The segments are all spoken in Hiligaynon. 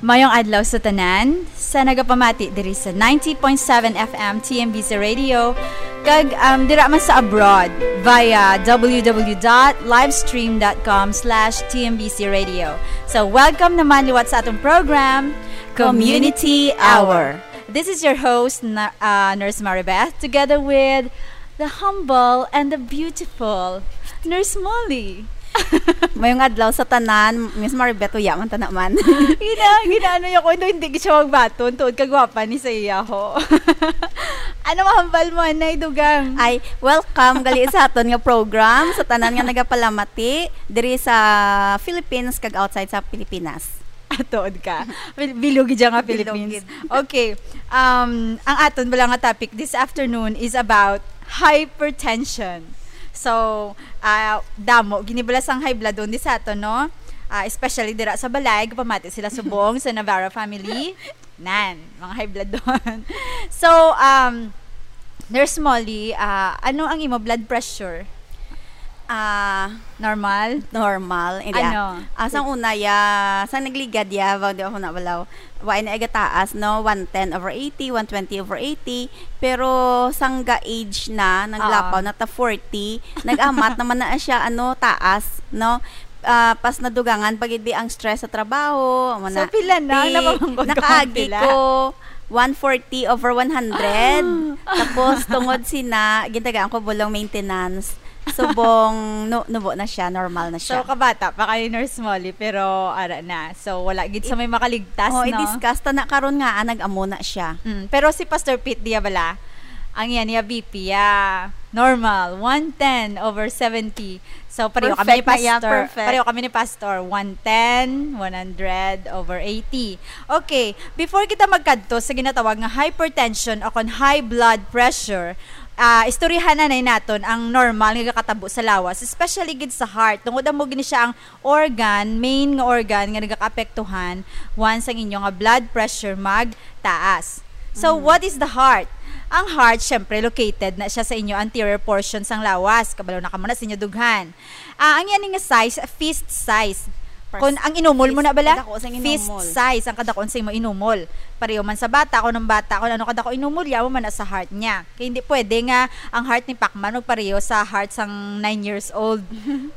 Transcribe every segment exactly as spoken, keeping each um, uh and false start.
Mayong adlaw sa tanan sa nagapamati diri sa ninety point seven F M T M B C Radio, kag, um, dira man sa abroad via w w w dot livestream dot com slash T M B C Radio. So, welcome naman liwat sa atong program, Community Hour. This is your host, na, uh, Nurse Maribeth, together with the humble and the beautiful Nurse Molly. Mayong adlaw sa tanan, Miss Maribeth, uya man ta naman. Gina, ginaano niya ko, hindi, hindi siya magbaton, tuod kagwapa ni sa iya ho. Ano mahambal mo, anay, dugang? Ay, welcome gali sa aton nga program, sa tanan nga nagapalamati diri sa Philippines kag outside sa Pilipinas. Atood ka. Bil- Bilog gid nga Philippines. Okay. Um, ang aton bala nga topic this afternoon is about hypertension. So, ah, damo ginibala sang high blood on di sa aton, no? Ah, especially dira sa balay, pamati sila subong sa Navarro family. Nan, mga high blood doon. So, um, Nurse Molly, ah, ano ang imo blood pressure? Ah, Normal? Normal. Hindi, Ano? Ah, sang una, ya, sang nagligad, ya, bang di ako nabalaw. Wa na iga taas, no? One ten over eighty, one twenty over eighty. Pero sang ga-age na, naglapaw Oo. na ta forty, nag-amat naman na siya, ano, taas, no? Ah, pas nadugangan pag di ang stress sa trabaho, amo So, na. Pila na? Di, Napamangkot ka, nakaagi pila? ko one forty over one hundred. Tapos, tungod sina, gintagaan ko bulong maintenance. Subong, nu- nubo na siya, normal na So, siya. Kabata pa kay Nurse Molly, pero ara na. So, wala gid sa may makaligtas, Oh, no? I-discuss ta na karon nga, ah, nag-amo na siya. Mm, pero si Pastor Pete diya bala, ang iya niya B P, ah, normal, one ten over seventy. So, pareho kami ni Perfect na iya, Pastor. perfect. Pareho kami ni Pastor, one ten, one hundred over eighty. Okay, before kita magkadto sa ginatawag nga hypertension o kon high blood pressure, ah, istoryahan na naton ang normal nga gakatabo sa lawas, especially gid sa heart. Tungod amo gini siya ang organ, main nga organ nga nagakaapektuhan once ang inyo nga blood pressure magtaas. So, what is the heart? Ang heart, syempre, located na siya sa inyo anterior portion sang lawas. Kabalo na kamo na sa inyo dughan. Ah, ang yan nga size, fist size. Kung ang inumol mo na bala, Kadako sang fist inumol. Size ang kadakon sa imo inumol. Pareho man sa bata, kung ang bata, kung ano kadako inumol, yawa man na sa heart niya. Kaya hindi pwede nga ang heart ni Pacman magpareho sa heart sang nine years old.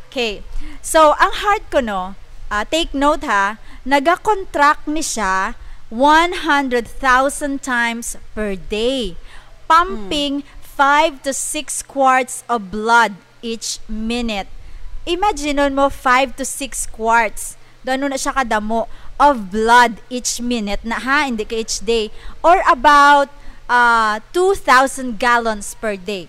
Okay. So, ang heart ko, no, ah, take note ha, nagakontract ni siya one hundred thousand times per day, pumping five to six quarts of blood each minute. Imagine mo, five to six quarts. Do ano na siya kadamo of blood each minute na ha, hindi ka each day. Or about uh, two thousand gallons per day.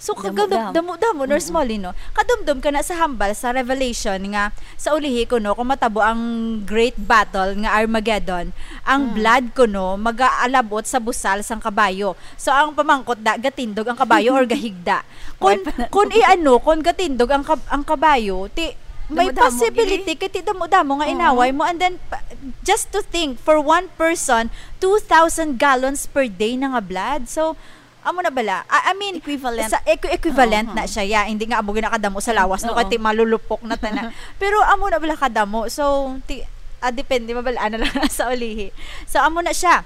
So, Damo, kagam- damo. damo-damo, Nurse Molly, no? Kadumdum ka na sa hambal sa Revelation nga sa ulihi ko, no, kung matabo ang great battle nga Armageddon, ang blood ko, no, mag-aalabot sa busal sang kabayo. So, ang pamangkot da, gatindog ang kabayo or gahigda? Kung, kung i-ano, kung gatindog ang, kab- ang kabayo, ti, may Damo-damo, possibility kay ti damo-damo nga Oo. inaway mo, and then pa- just to think, for one person, two thousand gallons per day na nga blood. So, amo na bala. I, I mean, Equivalent. Sa equi- equivalent Oo, na siya, yeah. Hindi nga amo ginakadamo sa lawas, no, Oo. kay ti malulupok na tana. Pero amo na bala kadamo. So, ti, ah, depende, mabalaan na lang sa ulihi. So, amo na siya.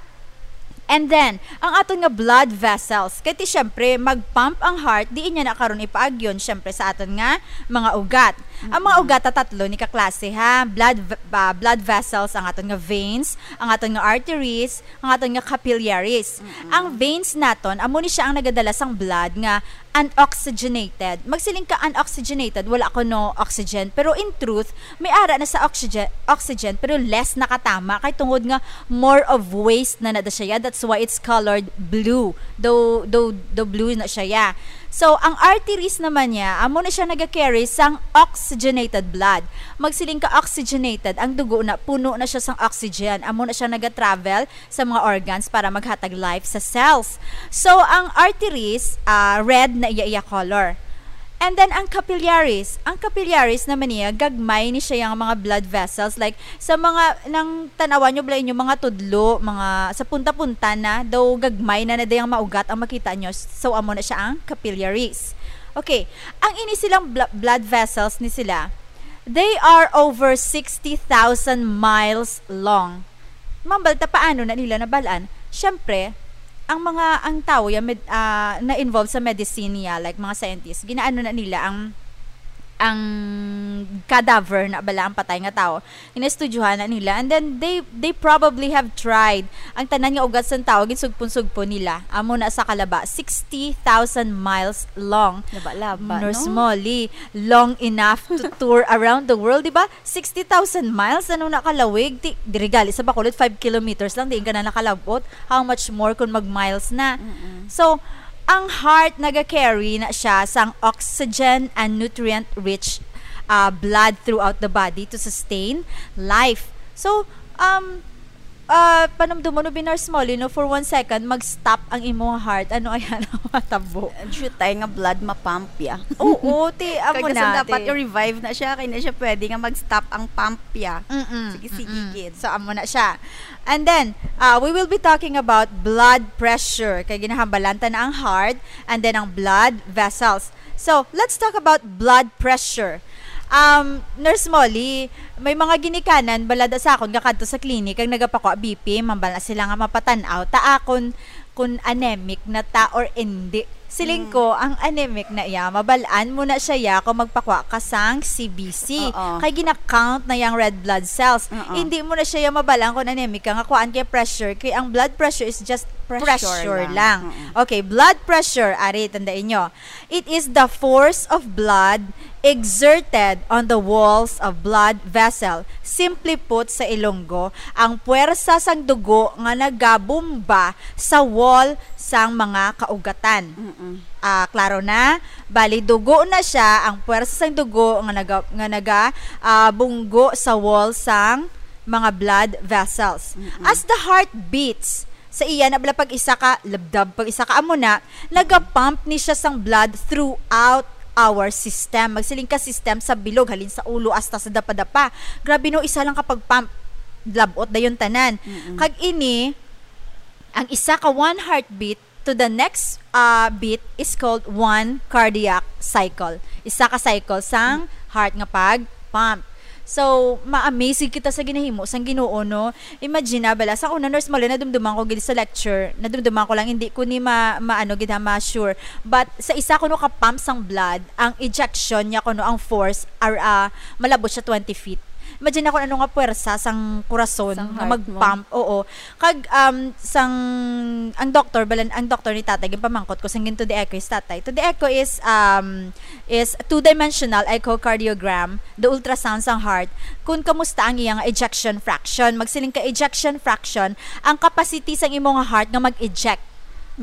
And then, ang aton nga blood vessels. Kay ti, syempre, mag-pump ang heart, di niya na karon ipaagyon, syempre, sa aton nga mga ugat. Ang mga ugat, ta tatlo ni kaklase, ha? Blood v- ba, blood vessels, ang aton nga veins, ang aton nga arteries, ang aton nga capillaries. Ang veins naton, amo ni siya ang nagadala sang blood nga unoxygenated. Magsiling ka unoxygenated, wala kuno oxygen. Pero in truth, may ara na sa oxygen, oxygen pero less nakatama kay tungod nga more of waste na nada siya. That's why it's colored blue. Though, though, though blue na siya. So, ang arteries naman niya, amo na siya naga-carry sang oxygenated blood. Magsiling ka oxygenated, ang dugo na puno na siya sang oxygen. Amo na siya naga-travel sa mga organs para maghatag life sa cells. So, ang arteries, ah, red na iya-iya color. And then, ang capillaries. Ang capillaries naman niya, gagmay ni siya yung mga blood vessels. Like, sa mga, nang tanawan nyo bala inyo mga tudlo, mga, sa punta-punta na, daw gagmay na na dayang maugat ang makita nyo. So, amo na siya ang capillaries. Okay, ang ini silang bl- blood vessels ni sila, they are over sixty thousand miles long. Mambal ta paano na nila nabalaan? Siyempre, ang mga, ang tao ya med-, ah, na-involved sa medicine ya, like mga scientists, ginaano na nila ang, ang cadaver na bala, ang patay nga tao. Ginaestudyohan na nila. And then, they, they probably have tried ang tanan nga ugat sang tao, ginsugpon-sugpon nila. Amo na sa kalaba, sixty thousand miles long. Laba-laba, Nurse no? Molly, long enough to tour around the world, di ba? Sixty thousand miles, ano na kalawig? Ti, diri gali sa Bacolod, five kilometers lang, diin ka na nakalabot. How much more kung mag-miles na? Mm-mm. So, ang heart naga-carry na siya sang oxygen and nutrient-rich, ah, blood throughout the body to sustain life. So, um, ah, panumdumon mo, Nurse Molly, no, for one second, mag-stop ang imong heart. Ano ayan ang matabo? Shoot tayo nga blood ma-pump ya. Oo, ti, amo Kag na, dapat ti. i-revive na siya, kaya na siya pwede nga mag-stop ang pump ya. Mm-mm, Sige, sige, mm-mm. gid. So, amo na siya. And then, uh, we will be talking about blood pressure. Kay ginahambalan ta na ang heart and then ang blood vessels. So, let's talk about blood pressure. Um, Nurse Molly, may mga ginikanan balada sa akon nga kadto sa clinic ang nagapakwa B P, mambal na sila nga mapatan-aw ta akon kun anemic na ta or hindi. Siling Mm. ko, ang anemic na iya, mabalaan mo na siya ya kung magpakwa ka sang C B C. Oo. Kay gina-count na yang red blood cells. Oo. Hindi mo na siya ya mabalaan kung anemic ka nga kuan kay pressure. Kay ang blood pressure is just Pressure pressure lang. lang. Oo. Okay, blood pressure, ari, tandaan nyo. It is the force of blood exerted on the walls of blood vessel. Simply put, sa Ilonggo, ang puwersa sang dugo nga nagabomba sa wall sang mga kaugatan. Mm-mm. Ah, klaro na? Bali, dugo na siya, ang puwersa sang dugo nga naga-, nga naga, ah, bunggo sa wall sang mga blood vessels. Mm-mm. As the heart beats, sa iya na bala pag isa ka labdab, pag isa ka amo na, nagapump ni siya sang blood throughout our system. Magsiling ka system sa bilog, halin sa ulo hasta sa dapadapa. Grabe no, isa lang ka pag-pump, labot dayon tanan. Mm-mm. Kag ini, ang isa ka one heartbeat to the next, ah, beat is called one cardiac cycle. Isa ka cycle sang heart nga pag-pump. So, ma-amaze gid kita sa ginahimo sang Ginoo, no? Imagine na, bala, sa una, Nurse Molly, nadumduman ko gid sa lecture, nadumduman ko lang, hindi ko ni ma-, maano gid ha, ma-sure. But sa isa kuno ka pump sang blood, ang ejection niya kuno, ang force, ar-, ah, malabot siya twenty feet. Imagine na kung ano nga puwersa sang kurason Sang nga heart mo. mag-pump, oo. Kag, um, sang, ang doktor, balan, ang doktor ni tatay, ginpamangkot ko sang gin to the echo is tatay. To the echo is, um, is two-dimensional echocardiogram, the ultrasound sang heart, kung kamusta ang iyang ejection fraction. Magsiling ka ejection fraction, ang capacity sang imong heart nga mag-eject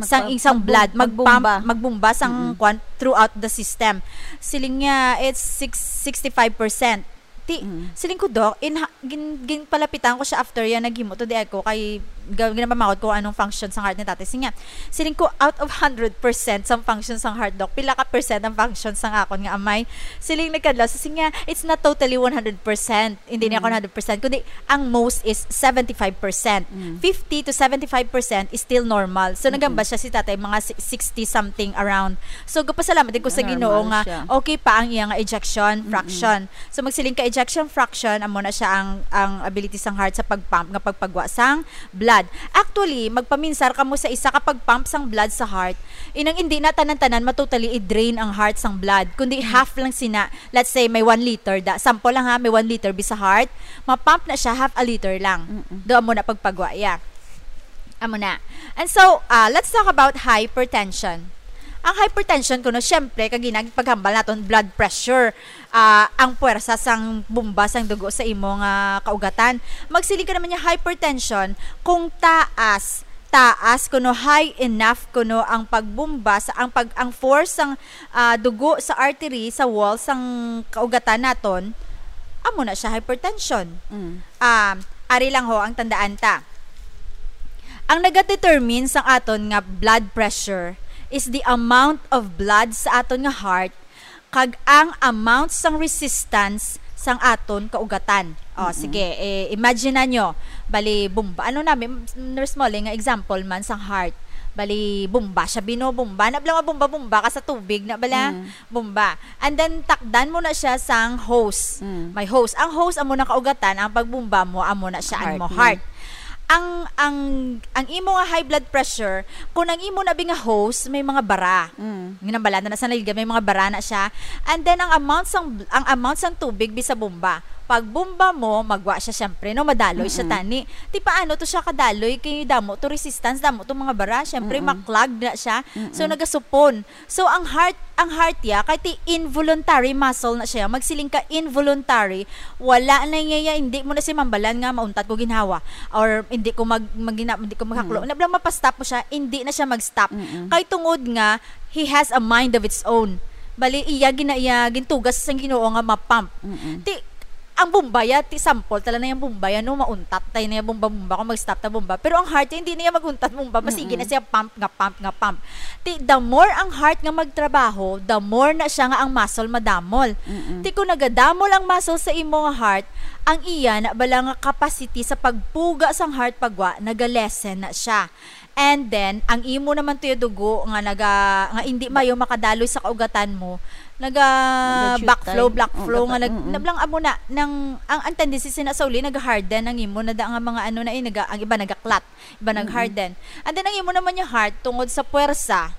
sang Magpa-, isang blood, magbum-, mag-pump, magbomba. magbomba sang Mm-mm. kwan throughout the system. Siling niya, it's six, sixty-five percent. Ti, Mm. siling ko, Doc, in ha-, gin-, ginpalapitan ko siya after yan, naghimo to the echo, kay ga-, ginapamangkot ko anong function sang heart ni tatay. Siling niya, siling ko, out of hundred percent sang function sang heart, Doc, pila ka percent ang function sang akon nga amay? Siling nagkadlaw, siling niya, it's not totally one hundred percent. Hindi niya Mm. ako one hundred percent, kundi ang most is seventy-five percent. Mm. Fifty to seventy-five percent is still normal. So, Mm-mm. nagamba siya si tatay, mga si-, sixty something around. So, gapasalamat din ko sa Normal Ginoo nga siya. okay pa ang iya nga ejection Mm-mm. fraction. So, magsiling ka ejection fraction, amo na siya ang, ang ability sang heart sa pag-pump nga pagpagwa sang blood. Actually, magpaminsar kamo sa isa ka pag-pump sang blood sa heart, inang hindi na tanan-tanan matotally i-drain ang heart sang blood, kundi Mm. half lang sina. Let's say, may one liter da. Sample lang ha, may one liter bi sa heart, ma-pump na siya half a liter lang. Mm-mm. Do amo na pagpagwa, yeah. Amo na. And so, ah, let's talk about hypertension. Ang hypertension kuno, syempre, kag ginag-, paghambal naton, blood pressure. Ah, ang puwersa sang bomba sang dugo sa imo nga kaugatan. Magsiling ka naman niya, hypertension, kung taas, taas kuno, high enough kuno ang pagbomba sa, ang pag-, ang force sang, ah, dugo sa artery, sa wall sang kaugatan naton, amo na siya hypertension. Mm. Ah, ari lang ho ang tandaan ta. Ang nagadetermine sang aton nga blood pressure is the amount of blood sa aton nga heart kag ang amount sang resistance sang aton kaugatan. O, Mm-mm. sige, eh, imagine na nyo, bali, bomba. Ano na, may, Nurse Molly, nga example man sang heart. Bali, bomba siya, bino, bomba. Na, bala nga bomba, bomba ka sa tubig, na bala, Mm. bomba. And then, takdan mo na siya sang hose. Mm. May hose. Ang hose, amo na kaugatan, ang pagbomba mo, amo na siya, ang Heart mo mo. heart. ang, ang, ang imo nga high blood pressure, kung ang imo na bi nga hose, may mga bara. Mm. Ginambala na sa nalilga, may mga bara na siya. And then, ang amount sang, ang amount sang tubig bi sa bomba. Pag bomba mo, magwa siya, syempre, no? Madaloy siya, Mm-mm. tani. Ti paano to siya kadaloy? Kay damo to resistance, damo to mga bara. Syempre, Mm-mm. maklag na siya. So, Mm-mm. nagasupon. So, ang heart, ang heart ya, kay ti involuntary muscle na siya. Magsiling ka involuntary, wala na niya, ya, hindi mo na siya mambalan nga mauntat ko ginhawa. Or hindi ko mag, magina-, hindi ko magaklo. Mm. Nabla mapastop mo siya, hindi na siya mag-stop. Mm-mm. Kay tungod nga, he has a mind of its own. Bali, iya gina-, iya gintugas sang Ginoo nga ma-pump. Mm-mm. Ti, ang bomba ya, ti sample, tala na yung bomba ya, no, mauntat tayo na yung bomba-bomba kung mag-stop ta bomba. Pero ang heart ya, hindi na yung mag-untat bomba, masigi Mm-mm. na siya pump nga pump nga pump. Ti, the more ang heart nga magtrabaho, the more na siya nga ang muscle madamol. Mm-mm. Ti, kung nagadamol ang muscle sa imo nga heart, ang iya na bala nga capacity sa pagpuga sang heart pagwa, naga-lessen na siya. And then, ang imo naman tuyo dugo nga naga, nga hindi mayo makadaloy sa kaugatan mo, naga Nag-shoot backflow, time. Black Oh, flow, nga nag-, mm-mm. nablang amo na, nang, ang, ang tendency sina sa uli, nag-harden ang imo, na da nga mga ano na, eh, naga, ang iba naga-clot, iba Mm-mm. nag-harden. And then, ang imo naman yung heart, tungod sa puwersa,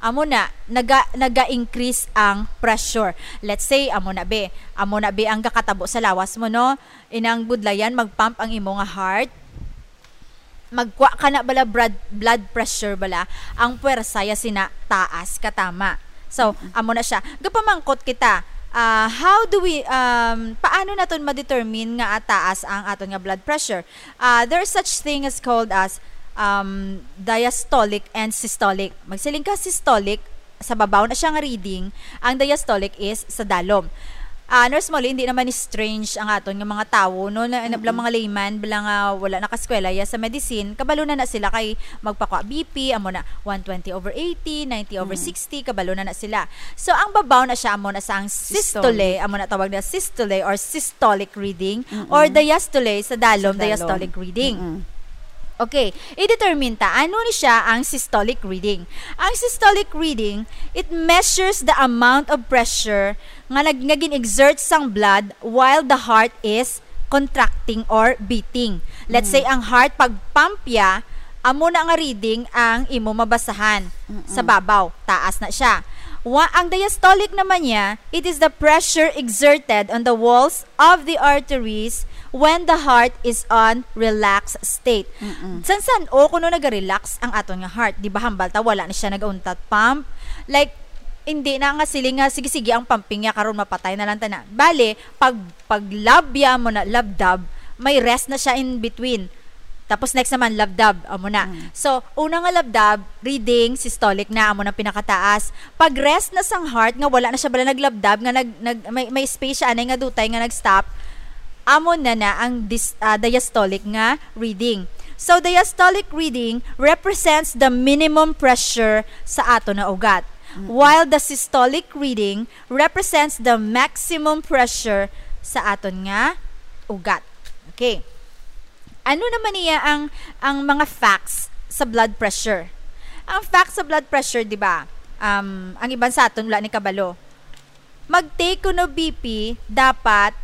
amo na, naga, naga-increase ang pressure. Let's say, amo na, be, amo na, be, ang gakatabo sa lawas mo, no? Inang budlayan, mag-pump ang imo nga heart. Magkwa ka na bala blood, blood pressure bala, ang puwersa ya sina taas katama. So, Mm-mm. amo na siya. Gapamangkot kita, ah, how do we, um, paano naton ma-determine nga taas ang aton nga blood pressure? Ah, there is such thing as called as, um, diastolic and systolic. Magsiling ka systolic, sa babaw na siya nga reading, ang diastolic is sa dalom. Ah, Nurse Molly, hindi naman ni strange ang aton nga mga tawo, no? Na, na, Mm-mm. mga layman, bala nga wala nakaskwela ya sa medicine, kabalo na na sila kay magpakwa B P, amo na one twenty over eighty, ninety over Mm. sixty, kabalo na na sila. So, ang babaw na siya, amo na sa ang systole, Systole. amo na tawag na systole or systolic reading, Mm-mm. or diastole sa dalom, Sa dalom. diastolic reading. Mm-mm. Okay, i-determine ta, ano ni siya ang systolic reading? Ang systolic reading, it measures the amount of pressure nga nag-, nga gin-exert sang blood while the heart is contracting or beating. Let's Mm. say, ang heart, pag pump ya, amo na nga reading ang imo mabasahan Mm-mm. sa babaw. Taas na siya. Wa-, ang diastolic naman niya, it is the pressure exerted on the walls of the arteries when the heart is on relaxed state. Mm-mm. San-san o kuno naga-relax ang aton nga heart? Di ba hambal ta, wala na siya nagauntat pump? Like, hindi na nga siling nga, sige, sige, ang pumping niya karon mapatay na lang ta na. Bale, pag, pag lab ya mo na, labdab, may rest na siya in between. Tapos next naman, labdab, amo na. Mm. So, una nga labdab, reading, systolic na, amo na pinakataas. Pag rest na sang heart, nga wala na siya bala naglabdab, nga nag, nag, may, may space siya, anay nga dutay nga nag-stop, amo na na ang dis-, ah, diastolic nga reading. So, diastolic reading represents the minimum pressure sa aton na ugat, Mm. while the systolic reading represents the maximum pressure sa aton nga ugat. Okay. Ano naman niya ang, ang mga facts sa blood pressure? Ang facts sa blood pressure, di ba? Um, ang iban sa aton wala ni kabalo. Mag-take kuno B P dapat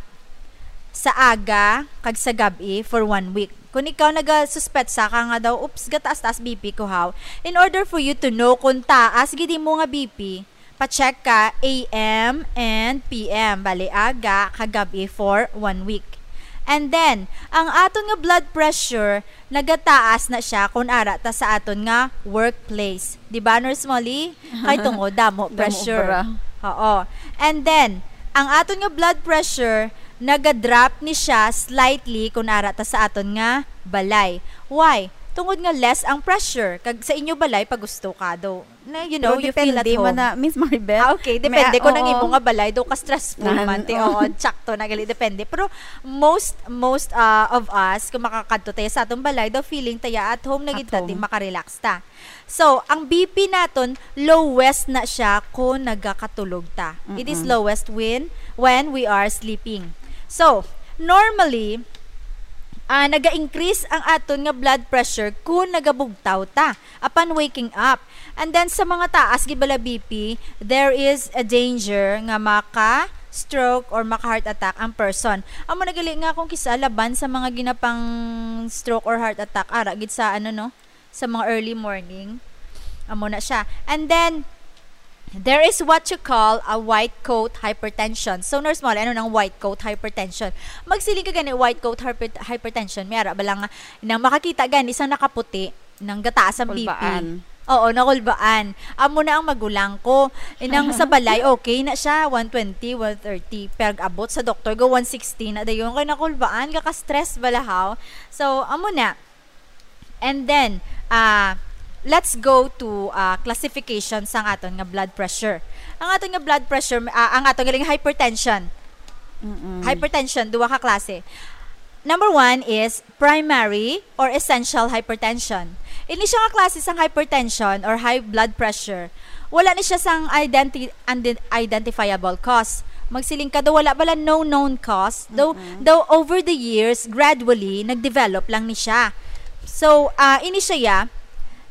sa aga kag sa gab-i for one week. Kung ikaw nagasuspetsa ka nga daw, "Oops, gataas-taas B P ko, haw." In order for you to know kung taas gid mo nga B P, pa-check ka A M and P M, bali aga kag gab-i for one week. And then, ang aton nga blood pressure nagataas na siya kung ara ta sa aton nga workplace. Di ba, Nurse Molly? Kay tungod, damo Damo pressure. Bra. Oo. And then, ang aton nga blood pressure, naga-drop ni siya slightly kung ara ta sa aton nga balay. Why? Tungod nga less ang pressure. Kag sa inyo balay, pag gusto ka, do, na, you know, Pero you feel at depende home. Man na, Miss Maribel. Ah, okay. Depende May, kung ang oo. Imo nga balay, do ka stressful Nan-, man, te, oo. Oo, tsakto na gali, depende. Pero most, most, ah, of us, kung makakadto tayo sa atong balay, do feeling tayo at home na At gid ta, ti home. Makarelax ta. So, ang B P naton, lowest na siya kung nagakatulog ta. It is Mm-mm. lowest when, when we are sleeping. So, normally, ah, naga-increase ang aton nga blood pressure kung nagabugtaw ta upon waking up. And then, sa mga taas gid bala B P, there is a danger nga maka, stroke or maka-heart attack ang person. Amo na gali nga kung kisa laban sa mga ginapang stroke or heart attack, ara gid sa ano, no, sa mga early morning. Amo na siya. And then, there is what you call a white coat hypertension. So, Nurse Molly, ano nang white coat hypertension? Magsiling ka gani white coat hyper- hypertension. May ara ba lang nga, nang makakita gani isang nakaputi, nang gataas ang B P. Kulbaan. Oo, nakulbaan. Amo na ang magulang ko. Inang sa balay, okay na siya, one twenty, one thirty. Pero abot sa doktor, go one sixty na dayon. Kay nakulbaan, kaka-stress bala, haw. So, amo na. And then, ah, let's go to, ah, classification sang aton nga blood pressure. Ang aton nga blood pressure, ah, ang aton galing hypertension. Mm-mm. Hypertension, duwa ka klase. Number one is primary or essential hypertension. Ini siya nga klase sang hypertension or high blood pressure. Wala ni siya sang identi-, undi-, identifiable cause. Magsiling ka daw wala bala no known cause. Though, Mm-mm. though over the years, gradually, nag-develop lang ni siya. So, ah, ini siya, ya,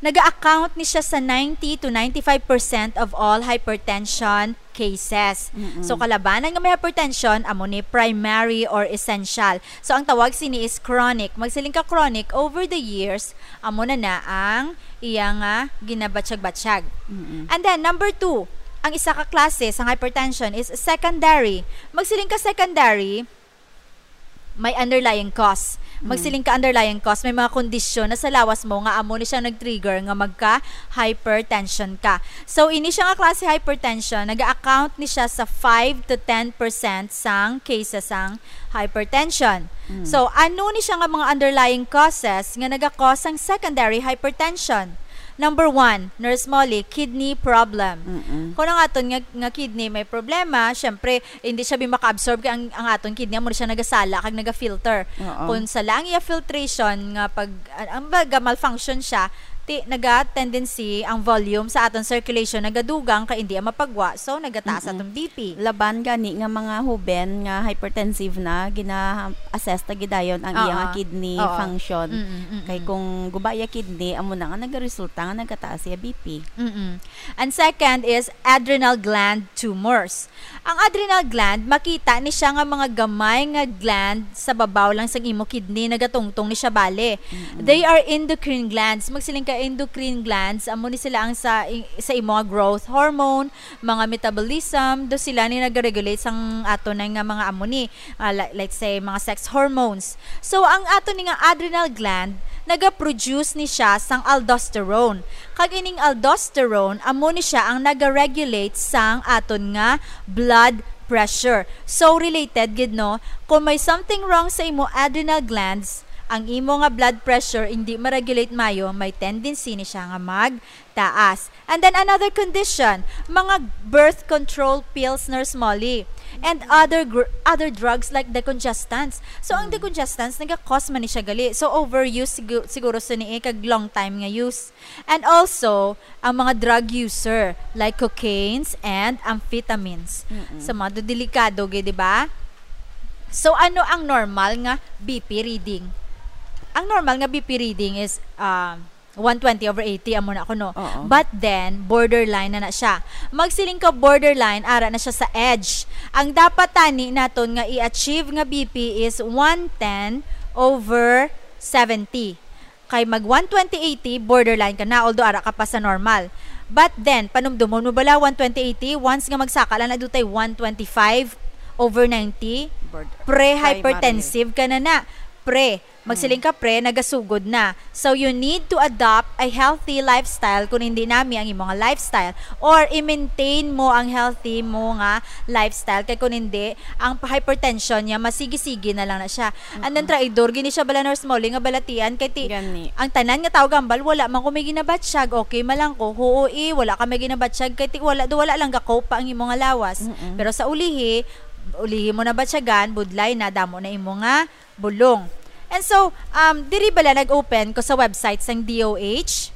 naga-account ni siya sa ninety to ninety-five percent of all hypertension cases. Mm-mm. So, kalabanan nga may hypertension, amo ni primary or essential. So, ang tawag sini is chronic. Magsiling ka chronic, over the years, amo na na ang iya nga ginabatsyag-batsyag. Mm-mm. And then, number two, ang isa ka klase sang hypertension is secondary. Magsiling ka secondary, may underlying cause. Mm. Magsiling ka underlying cause, may mga kondisyon na sa lawas mo nga amo ni siya nag-trigger nga magka-hypertension ka. So, ini siya nga klase hypertension, nag-account ni siya sa five to ten percent sang cases sang hypertension. Mm. So, ano ni siya nga mga underlying causes nga naga-cause sang secondary hypertension? Number one, Nurse Molly, kidney problem. Mm-mm. Kung ang aton nga, nga kidney may problema, syempre, hindi siya bi maka-absorb kay ang, ang aton kidney amo siya nagasala kag naga-filter. Oo. Kung sala ang iya filtration nga pag, an-, ang baga malfunction siya, ti naga-tendency ang volume sa aton circulation nagadugang kay hindi ang mapagwa, so nagataas Mm-mm. atong B P. Laban gani nga mga huben nga hypertensive na, gina-assess ta gidayon ang iya Oo. nga kidney Oo. function. Mm-mm, mm-mm. Kay kung guba iya kidney, amo na nga nagaresulta nga nagataas iya B P. Mm-mm. And second is adrenal gland tumors. Ang adrenal gland, makita ni siya nga mga gamay nga gland sa babaw lang sang imo kidney, nagatungtong ni siya bali. Mm-mm. They are endocrine glands. Magsiling ka endocrine glands, amo ni sila ang sa, sa imo nga growth hormone, mga metabolism, do sila ni nag-regulate sang ato na nga mga amo ni, ah, li-, let's say, mga sex hormones. So, ang ato ni nga adrenal gland, nagaproduce ni siya sang aldosterone. Kag ining aldosterone, amo ni siya ang nagaregulate sang aton nga blood pressure. So, related gid, no? Kung may something wrong sa imo adrenal glands, ang imo nga blood pressure hindi ma-regulate mayo, may tendency ni siya nga magtaas. And then another condition, mga birth control pills, Nurse Molly, and other gr-, other drugs like decongestants. So, ang Mm. decongestants, nagakos man ni siya gali. So, overuse sigu-, siguro sa ni kag long time nga use. And also, ang mga drug user, like cocaines and amphetamines. Mm-mm. Sa mga delikado, gid, di ba? So, ano ang normal nga B P reading? Ang normal nga B P reading is, um, one twenty over eighty, amo na kuno. Oo. But then, borderline na na siya. Magsiling ka borderline, ara na siya sa edge. Ang dapat tani naton nga i-achieve nga B P is one ten over seventy. Kay mag one twenty eighty, borderline ka na, although ara ka pa sa normal. But then, panumdumon mo bala, one twenty eighty, once nga magsaka lang na dutay one twenty-five over ninety, Bord-, pre-hypertensive ka na na. Pre, magsiling ka, pre, nagasugod na. So, you need to adopt a healthy lifestyle kung hindi nami ang imo nga lifestyle. Or, i-maintain mo ang healthy mo nga lifestyle. Kay kung hindi, ang hypertension niya, masigi-sige na lang na siya. And then, Mm-mm. traidor, gini siya bala, Nurse Molly, nga balatian. Kay ti, Gani. ang tanan nga tao gambal, wala man ko may ginabatsyag. Okay, malang ko, huo, eh, wala ka may ginabatsyag. Kay ti, wala, do, wala lang gako pa ang imo nga lawas. Mm-mm. Pero sa ulihi, ulihi mo na batyagan, budlay na, damo na imo nga bulong. And so, um, diri bala nag-open ko sa website sang D O H.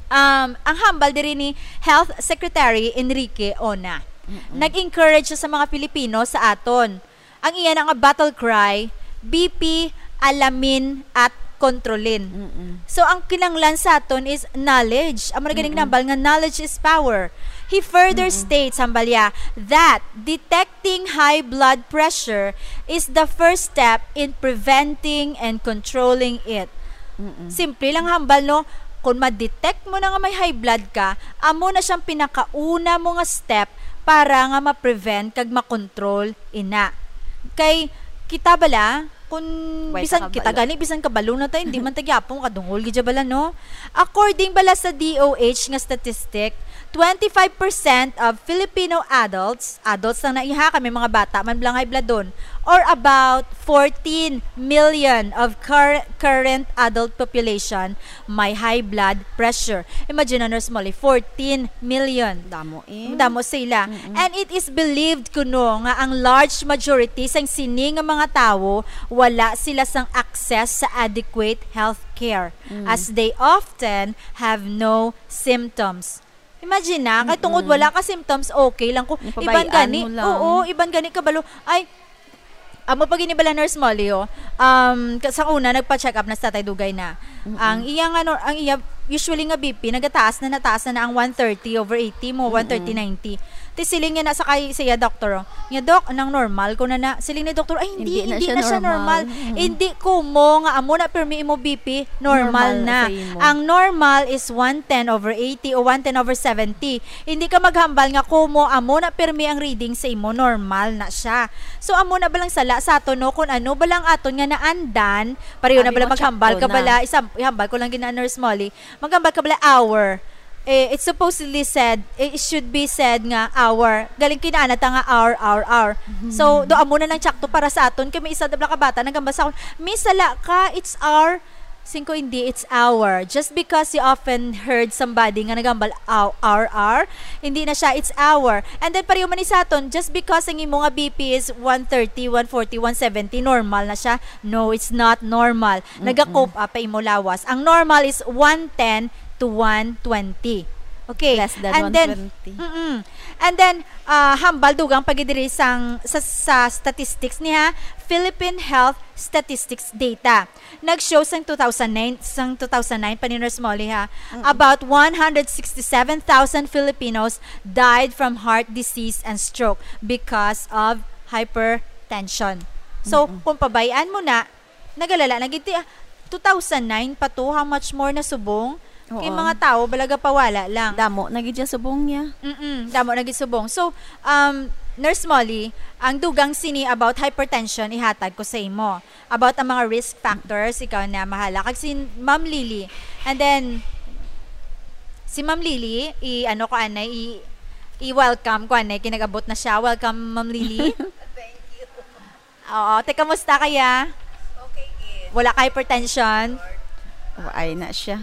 Um, ang hambal diri ni Health Secretary Enrique Ona. Mm-mm. Nag-encourage siya sa mga Pilipino sa aton. Ang iya na nga battle cry, B P, alamin at kontrolin. Mm-mm. So, ang kinanglan sa aton is knowledge. Amo na ganing Mm-mm. nambal nga knowledge is power. He further Mm-mm. states, hambal niya, that detecting high blood pressure is the first step in preventing and controlling it. Mm-mm. Simple lang hambal, no? Kung ma-detect mo na nga may high blood ka, amo na siyang pinakauna mo nga step para nga ma-prevent kag ma-control ina. Kay kita bala, kung Way bisan ta kabalo. Kita gani, bisan kabalo na ta, hindi man ta gyapon kadungol gid bala, no? According bala sa D O H nga statistic, twenty-five percent of Filipino adults, adults lang na iha, kami mga bata man bala nga high bloodon, or about fourteen million of cur-, current adult population may high blood pressure. Imagine na, Nurse Molly, fourteen million. Damo, eh. Damo sila. Mm-mm. And it is believed kuno nga ang large majority sang sini nga mga tawo wala sila sang access sa adequate health care, Mm. as they often have no symptoms. Imagine na, kay tungod Mm-mm. wala ka symptoms, okay lang ko. Iban Napabayaan gani, mo lang. Oo, iban gani kabalo. Ay, amo pa gini bala, Nurse Molly, oh. Um, ka-, sa una, nagpa-check up na si Tatay Dugay na. Mm-mm. Ang iya nga nor-, ang iya, usually nga B P, nagataas na, nataas na na ang one thirty over eighty mo, Mm-mm. one thirty ninety. Ti siling niya na sa kay, sa iya doktor, oh. Nga, "Dok, nang normal ko na na." Siling ni doktor, "Ay, hindi, Hindi na hindi siya na siya normal. normal. Mm. Hindi ko mo nga amo na pirmi imo B P, normal Normal na na. sa imo. Ang normal is one ten over eighty o one ten over seventy." Hindi ka maghambal nga, "Kumo, amo na pirmi ang reading sa imo, normal na siya." So, amo na balang sala sa aton, no? Kung ano balang aton nga naandan, pareho na Abi bala mo, maghambal check ka ko na. bala, isam-, ihambal ko lang gina, Nurse Molly, maghambal ka bala hour. Eh, it's supposedly said, eh, it should be said nga hour. Galing kinaana ta nga hour, hour, hour. So, do amo na lang tsakto para sa aton. Kay may isa na bala ka bata, naghambal sa akon, "May sala ka, it's hour." Singko, hindi, it's hour. Just because you often heard somebody nga nagambal, "Ow, R R," hindi na siya, it's hour. And then, pareho man ni sa aton, just because ang imo nga B P is one thirty, one forty, one seventy, normal na siya. No, it's not normal. Mm-mm. Naga-cope up pa imo lawas. Ang normal is one ten to one twenty. Okay. Less than And then, one twenty. Mm-mm. And then, ah, hambal dugang pagidiri sang, sa, sa statistics niya, Philippine Health Statistics data. Nag-show sang two thousand nine, sang two thousand nine pa ni Nurse Molly, ha, Mm-mm. about one hundred sixty-seven thousand Filipinos died from heart disease and stroke because of hypertension. So, Mm-mm. kung pabayaan mo na, nagalala na gid ti, ah, two thousand nine pa to, how much more na subong? Kay Oo. mga tawo, balaga pawala lang. Damo na gid siya subong niya. Mm-mm, damo na gid subong. So, um, Nurse Molly, ang dugang sini about hypertension, ihatag ko sa imo. About ang mga risk factors, ikaw na mahala. Kag si Ma'am Lily. And then, si Ma'am Lily, i-, ano ko, anay, i-, i-welcome ko, anay, kinagabot na siya. Welcome, Ma'am Lily. Thank you. Oo, te, kamusta kaya? Okay, eh. Wala ka hypertension? Ay na siya.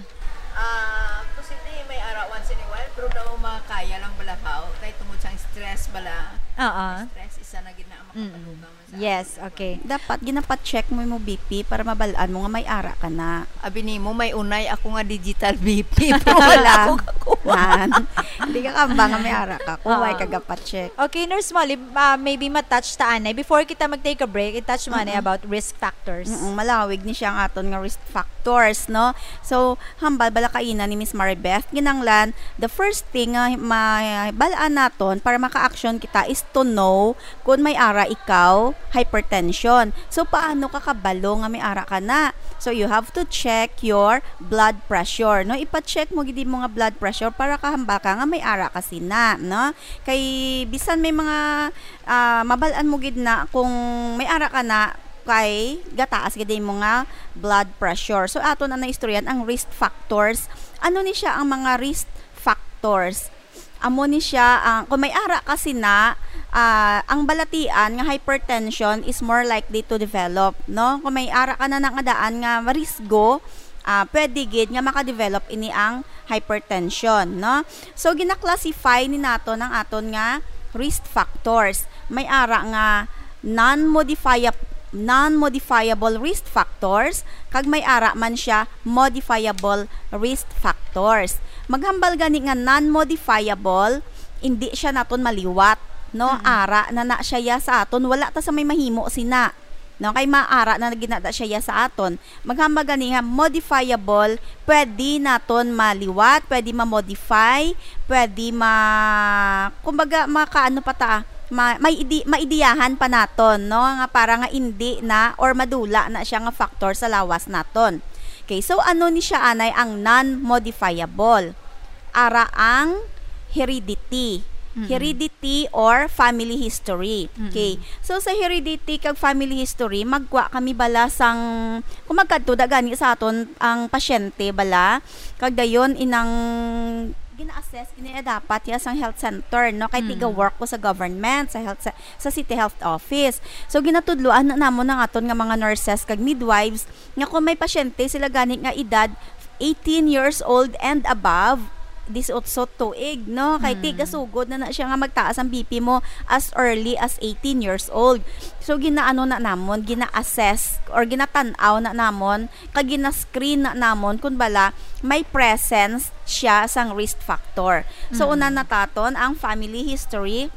Ah, posible may ara once in a while, pero daw makaya lang bala, haw. Kay tungod sa stress bala. Oo. Stress, isa na gid na ang Mm-mm. makapadugang man sa Yes, ato. Okay. Dapat ginapacheck mo yung B P para mabalaan mo nga may ara ka na. Abi nimo, may unay ako nga digital B P, pero wala Wala. ako kakuha. Man. Hindi ka kamba nga may ara ka kung Oo. may kagapacheck. Okay, Nurse Molly, ah, maybe ma-touch ta anay. Before kita mag-take a break, i-touch mo anay Mm-mm. about risk factors. Mm-mm, malawig ni siya ang aton nga risk factors, no? So, hambal bala kaina ni Miss Maribeth, ginanglan, the first thing nga mabal-an naton para maka-action kita is to know kung may ara ikaw, hypertension. So, paano ka kabalo nga may ara ka na? So, you have to check your blood pressure, no? Ipa-check mo gid mo nga blood pressure para kahambal ka nga may ara ka sina, no? Kay bisan may mga, ah, mabal-an mo gid na kung may ara ka na, kay gataas gid mo nga blood pressure. So, ato na naistoryan ang risk factors. Ano ni siya ang mga risk factors? Amo ni siya, ang, kung may ara ka sina, ah, ang balatian nga hypertension is more likely to develop, no? Kung may ara ka na nga daan nga marisgo, ah, pwede gid nga makadevelop ini ang hypertension, no? So, gina-classify ni naton ang aton nga risk factors. May ara nga non-modifiab-, non-modifiable risk factors, kag may ara man siya modifiable risk factors. Maghambal gani nga non-modifiable, hindi siya naton maliwat, no? Mm-mm. Ara na na siya ya sa aton, wala ta sa may mahimo sina. No, kay maara na ginada siya ya sa aton. Maghambal gani nga modifiable, pwede naton maliwat, pwede ma-modify, pwede ma-, kumbaga, makaano pa ta, ma-, may idi-, maidiyahan pa naton, no, nga para nga indi na or madula na siya nga factor sa lawas naton. Okay, so ano ni siya anay ang non-modifiable? Ara ang heredity. Mm-mm. Heredity or family history. Mm-mm. Okay. So, sa heredity kag family history, magkuha kami bala sang, kung magkadto da gani sa aton ang pasyente bala, kag dayon inang gina-assess gani dapat ya sang health center, no? Kay Mm. tiga-work ko sa government, sa health sa, sa city health office. So, ginatudloan na namon ang aton nga mga nurses kag midwives nga kung may pasyente sila gani nga edad eighteen years old and above, disiotso tuig, no? Kay Mm. tigasugod na na siya nga magtaas ang B P mo as early as eighteen years old. So, ginaano na namon, gina-assess or ginatan-aw na namon, kag gina-screen na namon kung bala may presence siya sang risk factor. So, Mm. una na taton ang family history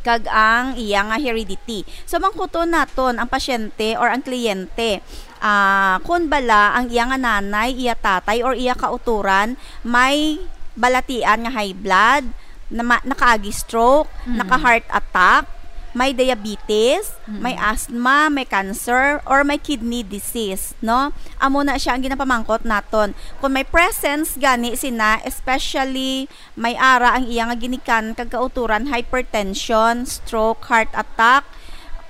kag ang iya nga heredity. So, mangkuton naton ang pasyente or ang kliyente, ah, kun bala ang iya nga nanay, iya tatay, or iya kautoran may balatian nga high blood, na ma-, nakaagi stroke, Mm. naka-heart attack, may diabetes, Mm. may asthma, may cancer, or may kidney disease, no? Amo na siya ang ginapamangkot naton. Kung may presence gani sina, especially may ara ang iya nga ginikanan kag kautoran, hypertension, stroke, heart attack,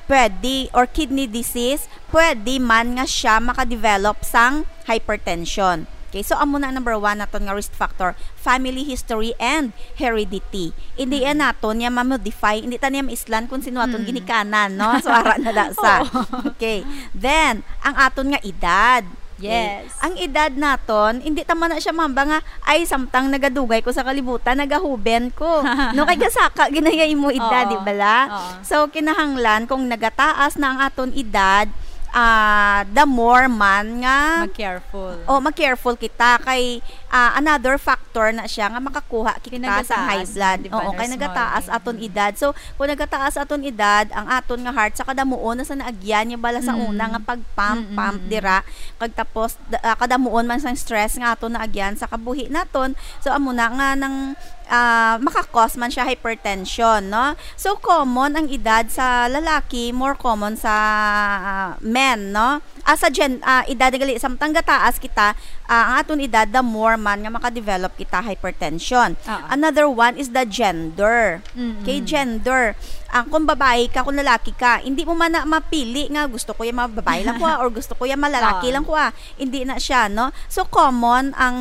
pwede, or kidney disease, pwede man nga siya makadevelop sang hypertension. Okay, so amo na ang number one naton nga risk factor, family history and heredity. Hindi Mm. yan naton niya ma-modify, hindi ta niya maislan kung sino aton Mm. ginikanan, no? So, ara na da sa. Oo. Okay. Then, ang aton nga edad. Okay. Yes. Ang edad naton, hindi ta man na siya mamba nga, "Ay, samtang nagadugay ko sa kalibutan, nagahuben ko." No, kay gasaka ginaya imo edad, Oo. di bala? Oo. So, kinahanglan kung nagataas na ang aton edad, ah, the more man nga Mag-careful. Oh, mag-careful kita kay, ah, another factor na siya nga makakuha kita sa high blood. Pinagataas na, di ba, Oo, kay nurse nagataas Molly? Aton Mm. edad. So, kung nagataas aton edad, ang aton nga heart sa kadamuon na sa naagyan niya bala sa Mm. una nga pag-pump, Mm, pump mm, mm. dira, kag tapos da-, ah, kadamuon man sang stress nga aton naagyan sa kabuhi naton. So, amo na nga nang, ah, maka-cause man siya hypertension, no? So, common ang edad sa lalaki, more common sa, ah, men, no? Ah, sa gen-, ah, edad gali, samtang gataas kita, ah, ang aton edad, the more man nga makadevelop kita hypertension. Oo. Another one is the gender. Mm-mm. Kay gender, ang kung babae ka, kung lalaki ka, hindi mo man na mapili nga gusto ko yung mga babae lang ko, ah, or gusto ko yung malalaki Oo. lang ko, ah. Hindi na siya, no? So, common ang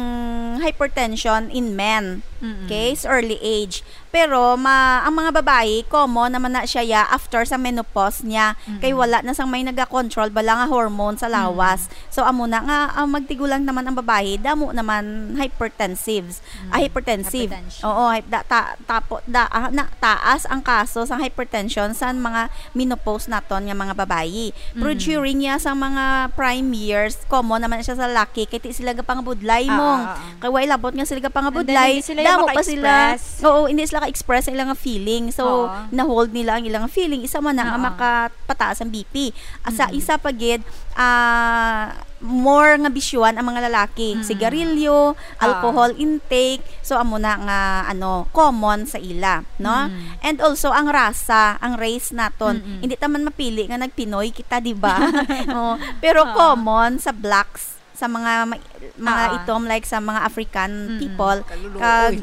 hypertension in men. Mm-mm. Okay? Sa early age. Pero ma-, ang mga babayi, common naman na siya ya after sa menopause niya. Kay Mm. wala na sang may naga-control bala nga hormone sa Mm. lawas. So, amo na nga, ah, magtigulang naman ang babayi, damo naman hypertensives. Ah, Mm. hypertensive. Hypertension. Oo, hy-, da-, ta-, tapo-, da-, ah, na, taas ang kaso sa hypertension sa mga menopause naton nga mga babayi. Pero Mm. during niya sa mga prime years, common naman siya sa laki, kay ti sila gapangabudlay Ah, mong ah, ah. Kay way labot nga sila gapangabudlay, And then, hindi sila damo pa sila, maka-express. Oo, hindi sila ka-express sa ilang feeling. So, Oo. na-hold nila ang ilang feeling. Isa man na nga Oo. makapataas ang B P. Asa Mm. isa pa gid, ah, more nga bisyuhan ang mga lalaki. Mm. Sigarilyo, Oo. alcohol intake. So, amo na nga, ano, common sa ila, no? Mm. And also, ang rasa, ang race naton. Mm-mm. Hindi ta man mapili nga nag-Pinoy kita, di ba? Oo. Pero Oo. common sa blacks, sa mga ma-, mga Ah. itom, like sa mga African Mm-mm. people, Kaluluoy. kag,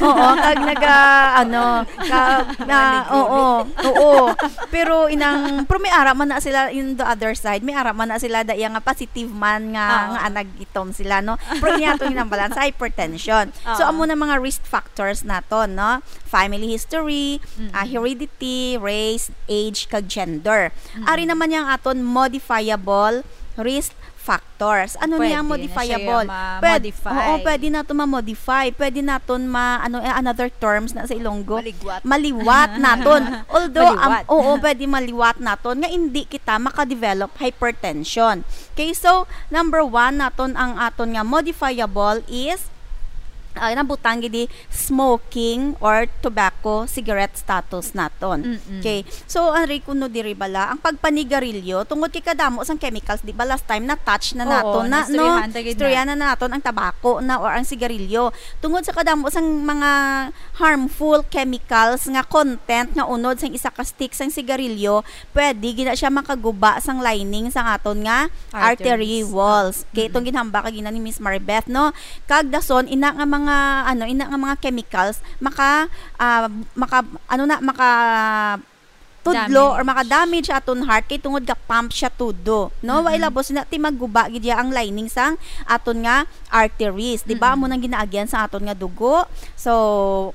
oo, kag naga-, ano, kag Mga na, negroni. oo, oo. Pero inang, pero may ara man na sila in the other side, may ara man na sila da iya nga positive man nga, Oo. nga anag itom sila, no? Pero niya itong inambalan sa hypertension. So, Oo. amo na mga risk factors naton, no? Family history, Mm-mm. ah, heredity, race, age, kag gender. Mm-mm. Ari naman yang aton modifiable risk factors. Ano niya ang Pwede na siya modifiable? yung ma-modify. Pwed-, oo, pwede naton ma-modify. Pwede naton ma-, ano, eh, another terms na sa Ilonggo. Maliwat. Maliwat naton. Although, am, Maliwat. oo, pwede maliwat naton nga hindi kita maka-develop hypertension. Okay, so, number one naton ang aton nga modifiable is ah, nabutang gid di smoking or tobacco cigarette status naton. Mm-mm. Okay. So, ang rikuno diri bala, ang pagpanigarilyo, tungod kay kadamo sang chemicals, di ba last time na-touch na Oo, naton na, no? naistoryahan ta gid na. Istoryahan na naton ang tabako na or ang sigarilyo. Tungod sa kadamo sang mga harmful chemicals nga content nga unod sang isa ka stick sang sigarilyo, pwede gina siya makaguba sang lining sang aton nga artery Arteries. walls. Okay, Mm-mm. itong ginhambal kagina ni Miss Maribeth, no? Kag dason, ina nga mga, ano, ina nga mga chemicals, maka, ah, maka, ano na, maka tudlo or Damage. maka-damage aton heart kay tungod ga pump siya tudo, no? Wa Mm-mm. ilabos na ti magguba gid ya ang lining sang aton nga arteries, di ba? Mm-mm. Amo nang ginaagyan sa aton nga dugo. So,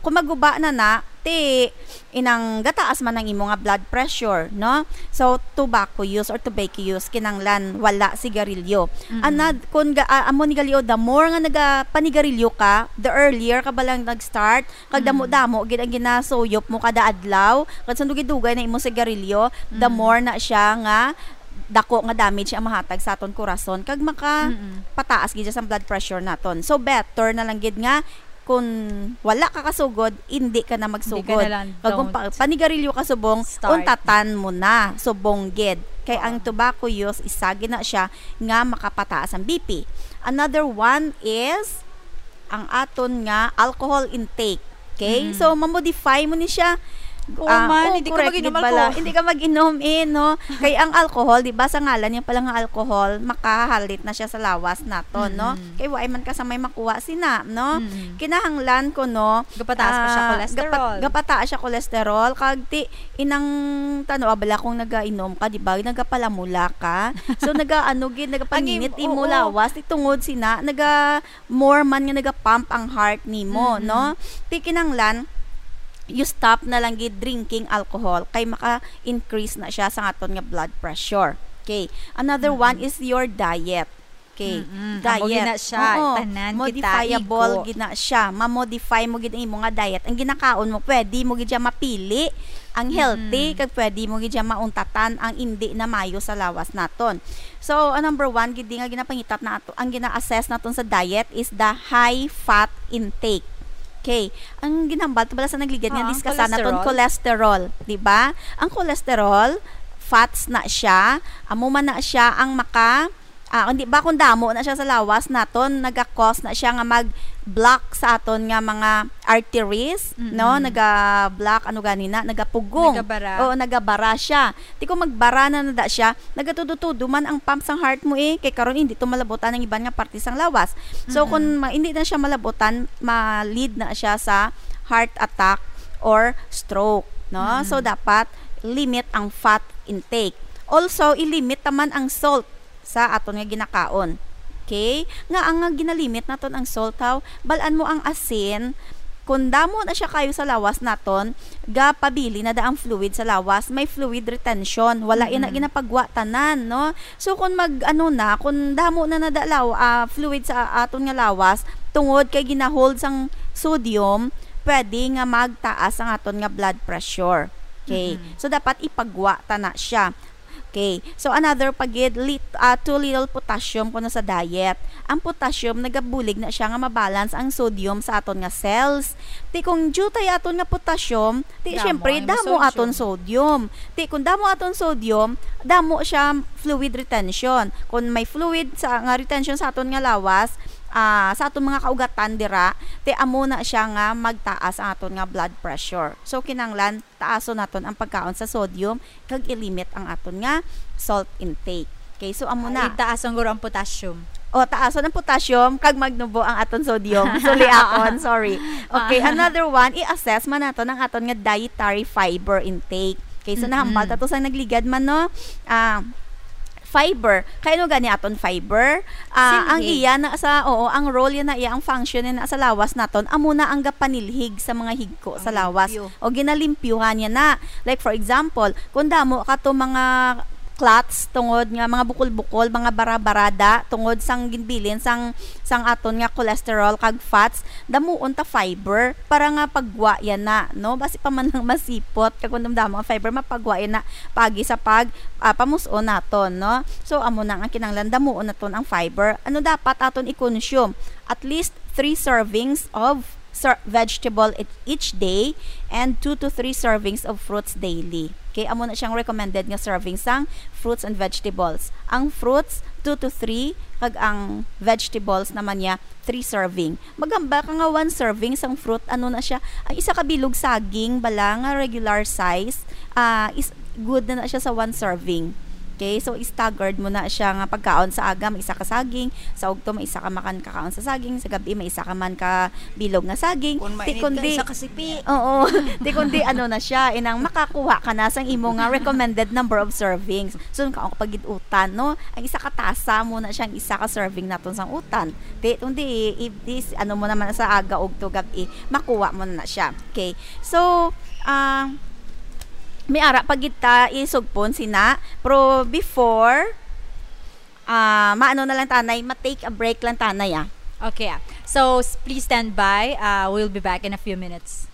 kung magguba na na, ti inang gataas man ang imo nga blood pressure, no? So, tobacco use or tobacco use, kinanglan wala sigarilyo. Mm-mm. Anad, kung ga, ah, amo ni gali, o, the more nga nagapanigarilyo ka, the earlier ka ba lang nag-start, kag Mm. damo-damo gid ang ginasuyop mo kada adlaw, kag sundugay-dugay na imo sigarilyo, the Mm. more na siya nga dako nga damage ang mahatag sa aton kurason, kag maka Mm-mm. pataas gid siya sa blood pressure naton. So, better na lang gid nga kung wala ka kasugod, hindi ka na Hindi ka magsugod. na lang, Kag kung don't. pa-, panigarilyo ka subong, Start. untatan mo na, subong gid. Kay ang Oo. tobacco use, isa gid na siya nga makapataas ang B P. Another one is ang aton nga alcohol intake. Okay? Mm. So, mamodify mo ni siya. Oo Ah, man, oh, hindi ka correct mag-inom gid bala. alcohol. Hindi ka mag-inom eh, no? Kay ang alcohol, di ba, sa ngalan niya pala nga alcohol, makahalit na siya sa lawas naton, no? Mm. Kay wa man ka sa may makuha sina, no? Mm. Kinahanglan ko, no, Gapataas pa siya ah, cholesterol. gapa-, gapataas siya cholesterol. Kag ti, inang tano, abala kung nagainom ka, di ba? Nagapalamula ka. So, naga, ano, gid, Ang im-, nagapaninit imo oo. lawas. Ti tungod sina, naga, more man nga naga-pump ang heart nimo, Mm-mm. no? Ti kinahanglan, you stop na lang gid drinking alcohol kay maka-increase na siya sa aton nga blood pressure. Okay. Another Mm-mm. one is your diet. Okay. Mm-mm. Amo Diet. gina siya, Oo. tanan kita Modifiable igo. gina siya. Ma-modify mo gid ang imo nga diet. Ang ginakaon mo, pwede mo gid siya mapili ang healthy, Mm-mm. kag pwede mo gid siya mauntatan ang indi na mayo sa lawas naton. So, ang number one gid nga ginapangita na ato, ang gina-assess naton sa diet is the high fat intake. Okay. Ang ginhambal to bala sa nagligad nga Ah, ang diskasan naton cholesterol. cholesterol, di ba? Ang cholesterol, fats na siya, amo man na siya ang maka, ah, hindi ba kung damo na siya sa lawas naton, naga-cause na siya nga mag-block sa aton nga mga arteries, no? Mm-mm. Naga-block, ano gani na, nagapugong. Nagabara. Oo, nagabara siya. Ti kung magbara na na da siya, nagatudo-tudo man ang pump sang heart mo eh. Kay karon hindi to malabutan ang iban nga parte sang lawas. So, Mm-mm. kung ma-, hindi na siya malabutan, ma-lead na siya sa heart attack or stroke, no? Mm-mm. So, dapat limit ang fat intake. Also, i-limit naman ang salt sa aton nga ginakaon. Okay? Nga ang nga ginalimit naton ang salt, haw, balan mo ang asin, kung damo na siya kayo sa lawas naton, gapabili na da ang fluid sa lawas, may fluid retention, wala yan na Mm-mm. ginapagwa tanan, no? So, kung mag, ano na, kung damo na nada law-, ah, fluid sa aton nga lawas, tungod kay ginahold sang sodium, pwede nga magtaas ang aton nga blood pressure. Okay? Mm-mm. So, dapat ipagwa ta na siya. Okay. So, another pa gid, lit-, ah, too little potassium kuno sa diet. Ang potassium, nagabulig na siya nga mabalance ang sodium sa aton nga cells. Ti kung diutay aton nga potassium, ti Damo syempre, ang damo sodium. aton sodium. Ti kung damo aton sodium, damo siya fluid retention. Kung may fluid sa, nga retention sa aton nga lawas, ah, sa aton mga kaugatan dira, ti amo na siya nga magtaas ang aton nga blood pressure. So, kinahanglan taason naton ang pagkaon sa sodium kag i-limit ang aton nga salt intake. Okay, so amo na. Ay, taas ang guro ang potassium. O, taason ang potassium kag magnubo ang aton sodium. Suliakon, sorry. Okay, Ah. another one, i-assess man naton ang aton nga dietary fiber intake. Okay, so nahambal Mm-mm. ta to sa nagligad man, no? Ah, fiber. Kay ano gani aton fiber? Ah, ang Silhig. iya na sa, oo, ang role yan na iya, ang function na sa lawas naton, amo na ang gapanilhig sa mga higko sa Ang lawas. limpyo. O ginalimpyuhan niya na. Like, for example, kung damo ka to mga clots, tungod nga mga bukol-bukol, mga bara-barada, tungod sang ginbilin sang, sang aton nga cholesterol kag fats, damuon ta fiber para nga paggwa yan na, no? Basi pa man lang masipot, kag kung damdamo ang fiber, mapagwa yan na pagi sa pag, ah, pamus-on naton, no? So, amo na ang kinahanglan, damuon naton ang fiber. Ano dapat aton i-consume? At least three servings of ser-, vegetable each, each day and two to three servings of fruits daily. Okay, amo na siyang recommended nga serving sang fruits and vegetables. Ang fruits, two to three, kag ang vegetables naman niya, three serving. Maghambal ka nga one serving sang fruit, ano na siya, ang isa ka bilog saging, bala nga regular size, ah, is good na na siya sa one serving. Okay, so staggered mo na siya nga pagkaon, sa aga may isa ka saging, sa ugto may isa ka makan kakaon sa saging, sa gabi may isa ka man ka bilog nga saging. Kung Ti mainit ka, kundi isa ka sipi. Oo. Ti kundi ano na siya, inang makakuha ka na sang imo nga recommended number of servings. So, kaon ka pag utan, no? Ang isa ka tasa mo na siya, ang isa ka serving naton sang utan. Ti kundi i-, i-, is-, ano mo naman sa aga, ugto, gabi, makuha mo na na siya. Okay. So, ah, may ara pa gid ta isugpon sina, pero before, ah, maano na lang tanay, ma-take a break lang tanay, ah. Okay, ah. So, s- please stand by. Uh, we'll be back in a few minutes.